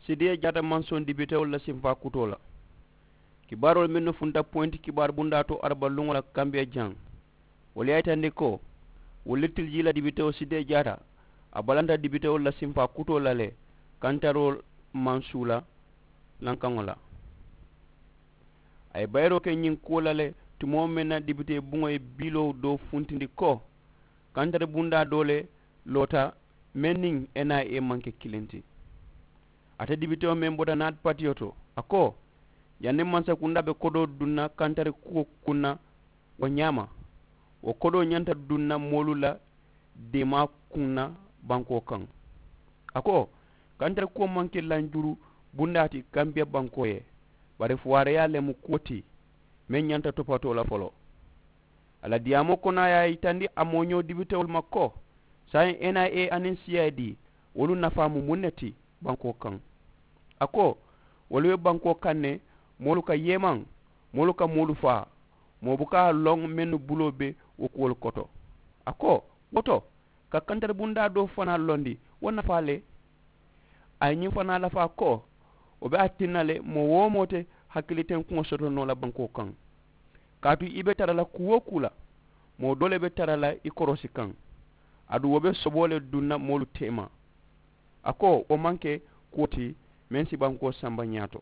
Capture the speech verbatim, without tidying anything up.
Sidiya jaata maŋ soŋ dibitewolu la simfaa kutoo la. Kibaaroolu mennu funta poyinti kibaaru bundaa to araba luŋo la kambiya jaŋ, wolu ye a yitandi ko wolu le tilijii la dibitewo sidiya jaata a balanta dibitewolu la simfaa kutoo la le kantaroo maŋ suu la lankaŋo la. A ye bayiroo ke ñiŋ kuwo la le tumoo meŋ na dibitee buŋo ye biiloo doo funtindi ko kantari bundaa doo le loota meŋ niŋ n i a maŋ ke kiliŋ ti. Ate dibitewo meŋ bota naati patiyo to a ko, janniŋ mansakundaa be kodoo duŋ na kantari kuwo kuŋ na wo ñaama, wo kodoo ñanta duŋ na moolu la deemaa kuŋ na bankoo kaŋ. A ko, kantari kuwo maŋ ke lanjuru bundaa ti kambiya bankoo ye, bari fuwaareyaa le mu kuwo ti meŋ ñanta topatoo la foloo. A la diyaamoo kono a ye a yitandi a mooñoo dibitewolu ma ko saayiŋ n i a aniŋ siyaayidi wolu nafaa mu muŋ ne ti bankoo kaŋ. A ko, wolu be bankoo kaŋ ne, moolu ka yeemaŋ, moolu ka moolu faa, moo buka a loŋ mennu buloo be wo kuwolu koto. A ko, wo to ka kantari bundaa doo fanaa londi wo nafaa le. A ye ñiŋ fanaa lafaa ko, wo be a tinna le moo-wo-moo te hakilitenkuŋo soto noo la bankoo kaŋ. Kaatu i be tara la kuu-wo-kuu la, moo doo le be tara la i koroosi kaŋ, aduŋ wo be soboo le duŋ na moolu teema. A ko wo maŋ ke kuwo ti meŋ si bankoo samba ñaato.